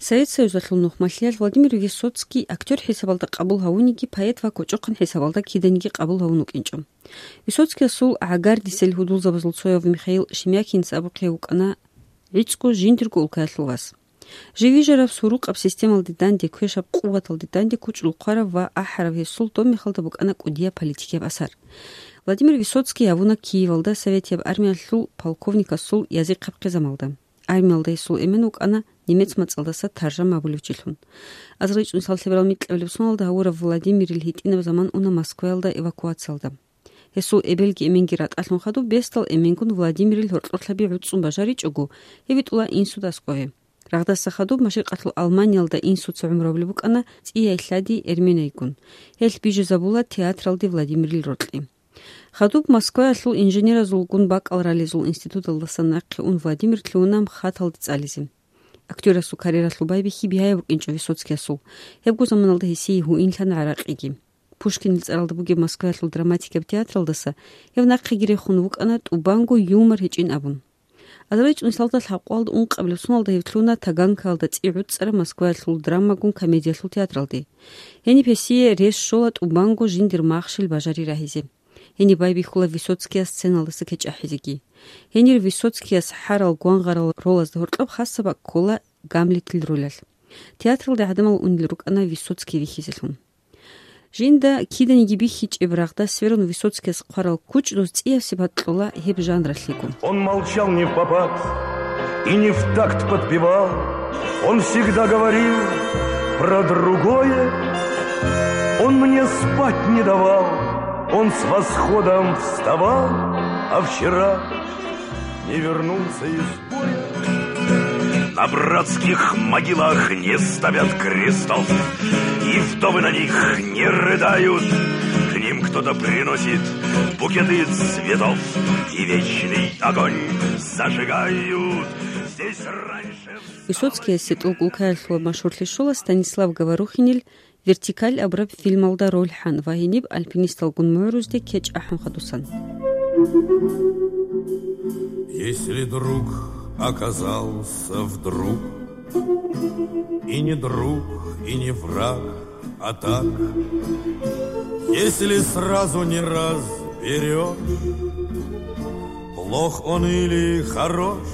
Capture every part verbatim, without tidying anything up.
Совет Союзалъул нухмалъиялъ Владимир Высоцкий актер хӀисабалда къабул гьавуниги, поэт ва кочӀохъан хӀисабалда киданиги къабул гьавун вукӀинчӀо. Высоцкиясул гӀагардисел гьудулзабазул цояв Михаил Шемякинец абухъе вукӀана гӀицӀго жиндирго улкаялъул вас. Жив вижараб сурукъаб системалде данде, квешаб къуваталде данде кучӀдул хъварав ва ахӀарав гьесул доб мехалда букӀана кӀудияб политикияб асар. Владимир Высоцкий гьавуна Киевалда советияб армиялъул полковникасул язихъаб хъизамалда. Армиялда гьесул эмен вукӀана немец мацӀалдаса Таржан абулев чилъун. Азарил чӀунсал лъеберал микьабилеб соналда гьавурав Владимирил гьитӀинаб заман уна Москваялда эвакуациялда. Гьесул эбелги эменги ратӀалъун хадуб бесдал эменгун Владимирил гьоркьорлъаби гӀуцӀцӀун бажаричӀого, гьев витӀула инсуда аскӀове. Рагъдаса хадуб машрикъалъул Алманиялда инсуца гӀумру гьабулеб букӀана цӀияй лъади Эрменайгун. Гьелъ бижизабула театралде Владимирил рокьи. Хадуб Москваялъул инженеразулгун бакӀал ралезул институталдасан нахъе ун Владимир лъугьуна МХАТалде цӀализе. Актерасул карьералъул байбихьи бигьаяб букӀинчӀо Высоцкиясул. Гьебго заманалда гьесие гьуинлъана гӀаракъиги. Пушкинил цӀаралда бугеб Москваялъул драматикаб театралдаса гьев нахъеги рехун вукӀана тӀубанго юмор гьечӀин абун. Азарил чӀунсалда лъабкъоялда ункъабилеб соналда гьев лъугьуна Таганкаялда цӀи гӀуцӀцӀараб Москваялъул драмагун комедиялъул театралде. Гьениб гьесие рес щола тӀубанго жиндир махщел бажари рагьизе. Гьениб байбихьула Высоцкияс сценалдаса кечӀ ахӀизеги. Гьенир Высоцкияс хӀарал гвангъарал ролазда гьоркьоб хасаб бакӀ ккола Гамлетил ролялъ. Театралде гӀадамал унел рукӀана Высоцкий вихьизелъун. Жинда киданиги бихьичӀеб рагъда сверун Высоцкияс хъварал кучӀдуз цӀияб сипат кьола гьеб жанралъего. Он молчал не в попад и не в такт подпевал. Он всегда говорил про другое. Он мне спать не давал. Он с восходом вставал, а вчера не вернулся из боя. На братских могилах не ставят крестов, и вдовы на них не рыдают. К ним кто-то приносит букеты цветов, и вечный огонь зажигают. Здесь раньше... Высоцкиясе тӀулгулкаялъула машгьурлъи щола Станислав Говорухинил «Вертикаль» абураб фильмалда роль хӀан ва гьениб альпинисталгун мугӀрузде кечӀ ахӀун хадусан. Если друг оказался вдруг, и не друг, и не враг, а так, если сразу не разберёшь, плох он или хорош,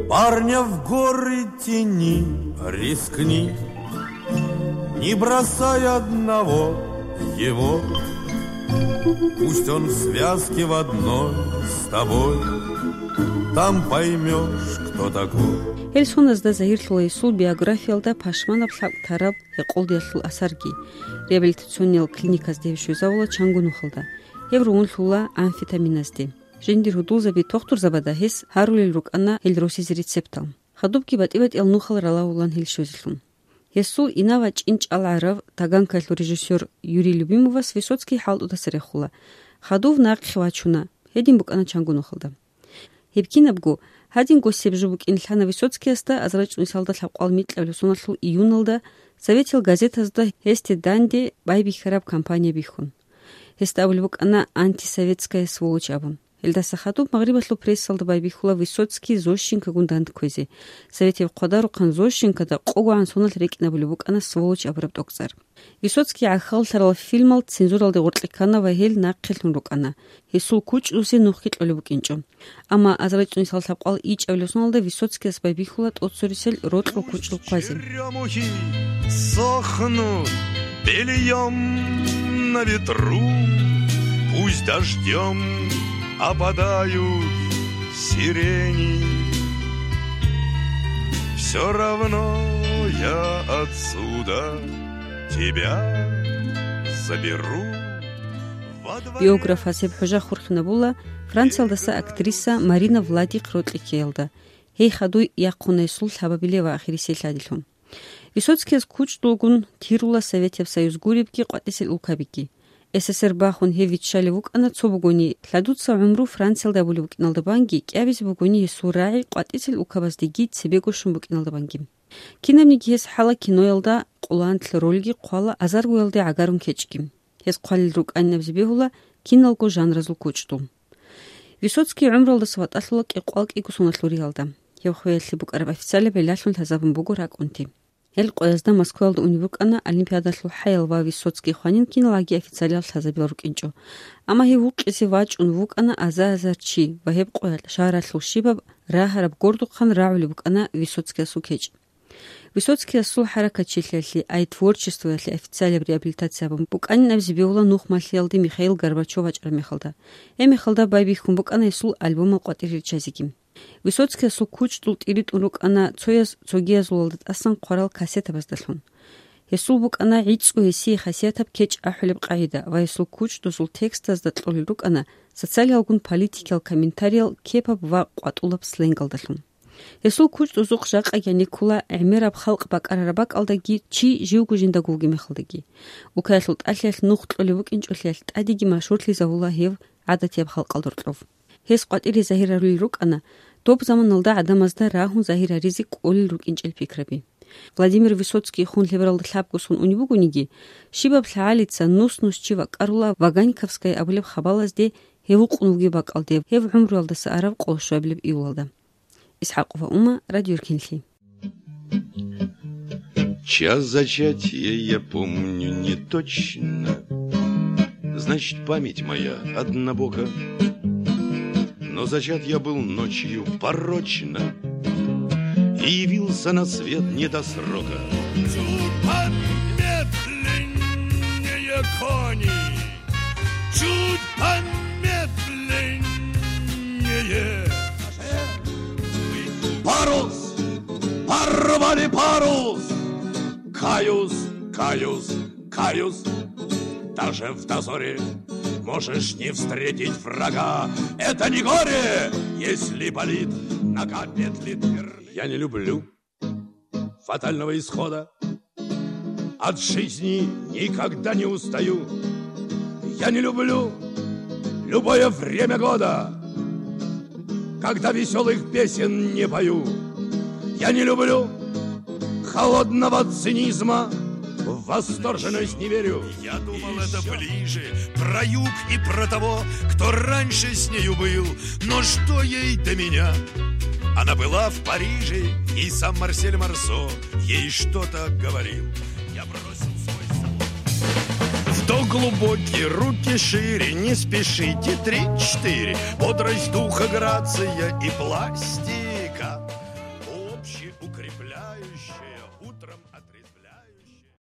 парня в горы тяни, рискни, не бросай одного его. Пусть он в связке в одной с тобой, там поймёшь, кто такой. Гьел соназда загьирлъула гьесул биографиялда пашманаб лъабкӀ тараб гьекъолдиялъул асарги. Реабилитациониял клиниказде гьев щвезавула чанго нухалда. Гьев ругьунлъула амфетаминазде. Жиндир гьудулзаби тохтурзабада гьес гьарулел рукӀана гьел росизе рецептал. Хадубги батӀи-батӀиял нухал ралагьулан гьел щвезелъун. Гьесул инав вачӀин чӀалгӀарав таганкаялъул режиссёр Юрий Любимовас Высоцкий хӀалтӀудаса рехула. Хадув нахъе вачуна, гьедин букӀана чанго нухалда. Гьеб кинабго, гьадинго себ жо букӀин лъана Высоцкиясда азарачӀунисалда лъабкъал микьабилеб соналъул июналда советил газетазда гьесде данде байбихьараб кампания бихьун. Гьесда абулеб букӀана «антисоветская сволочь» абун. Гьелдаса хадуб магърибалъул прессалда байбихьула Высоцкий Зощенкагун дандкквезе. Советияб хъвадарухъан Зощенкада къогогӀан соналъ рекӀинабулеб букӀана «сволочь» абураб тӀокӀцӀар. Высоцкий гӀахьаллъарал фильмал цензуралде гъоркье ккана ва гьел нахъе лъун рукӀана. Гьесул кучӀдусе нухги кьолеб букӀинчӀо. Амма азарачӀунисал лъабкъал ичӀабилеб соналда Высоцкияс байбихьула тӀоцерисел рокьул кучӀдул хъвазе. Черемухи сохнут бельём на ветру, пусть дождём опадают сирени. Всё равно я отсюда тебя заберу. Биограф Гьасеб ХӀужа хурхинабула Франциялдаса актриса Марина Владих рокьи ккеялда. Гьей хадуй яхъуна гьесул лъабабиле ва ахирисел лъадилъун. Высоцкияс кучӀдулгун тирула Советияб Союз гуребги къватӀисел улкабиги. СССР бахун гьев виччалев вукӀана цо бугони, лъадуца гӀумру Франциялда абулеб букӀиналда банги, кӀиабизе бугони гьесул рагӀи къватӀисел улкабаздеги цебего щун букӀиналда банги. Кинабниги гьес хӀала киноялда къулантлъи рольги хъвала азаргоялде гӀагарун кечӀги. Гьес хъвалел рукӀайнабизе бегьула киналго жанразул кучӀдул. Высоцкий гӀумралдаса ватӀалъула кӀикъвалкӀиго соналъул риялда. Гьеб къоялъе букӀараб официалияб гӀиллалъун лъазабун буго ракӀунти. Гьел къоязда Москваялда унеб букӀана Олимпиадалъул хӀаял ва Высоцкий хванин киналгӀаги официалияб лъазабилал рукӀинчӀо. Амма гьев вукъизе вачӀун вукӀана аза-азар чи ва гьеб къоялъ шагьаралъул щибаб рагьараб гордухъан рагӀулеб букӀана Высоцкиясул кечӀ. Высоцкиясул хӀаракатчилъиялъе, ай творчествоялъе официалияб реабилитация гьабун букӀанин абизе бегьула нухмалъиялде Михаил Горбачев вачӀараб мехалда. Гьеб мехалда байбихьун букӀана гьесул альбомал къватӀире риччазеги. Высоцкиясул кучӀдул тӀиритӀун рукӀана цояз цогиязулалда тӀасан хъварал кассетабаздалъун. Гьесул букӀана гӀицӀго гьесие хасиятаб кечӀ ахӀулеб къагӀида ва гьесул кучӀдузул текстазда кьолел рукӀана социалиялгун политикиял комментариял кепаб ва къватӀулаб сленгалдалъун. Гьесул кучӀдузухъ жакъа гьаниккула гӀемераб халкъ бакӀарараб бакӀалдаги чи живго жиндаго вугеб мехалдаги. Укаялъул тӀалъиялъ нух кьолеб букӀинчӀолъиялъ тӀадеги машгьурлъизавула гьев гӀадатияб халкъалда гьоркьов. Гьес къватӀире загьир гьарулел рукӀана доб заманалда гӀадамазда рагьун загьир гьаризе кӀолел рукӀинчӀел пикраби. Владимир Высоцкийихъун лъебералда лъабго сон унеб бугониги, щибаб лъагӀалица нус-нус чи вакӀарула Ваганьковская абулеб хабалазде гьев вукъун вугеб бакӀалде, гьев гӀумруялдаса араб къоло щуабилеб июлалда. ИсхӀакъова Ума, Радио Рхинлъи. Час зачатия я помню не точно. Значит, память моя однобока. Но зачат я был ночью порочно и явился на свет не до срока. Чуть помедленнее, кони, чуть помедленнее. Парус! Порвали парус! Каюс, каюс, каюс! Даже в дозоре можешь не встретить врага. Это не горе, если болит нога, петлит вер-. Я не люблю фатального исхода. От жизни никогда не устаю. Я не люблю любое время года, когда веселых песен не пою. Я не люблю холодного цинизма, в восторженность не верю. Я думал, это ближе, про юг и про того, кто раньше с нею был. Но что ей до меня? Она была в Париже, и сам Марсель Марсо ей что-то говорил. Я бросил свой салон. В док глубокий, руки шире, не спешите, три-четыре. Бодрость духа, грация и пластик.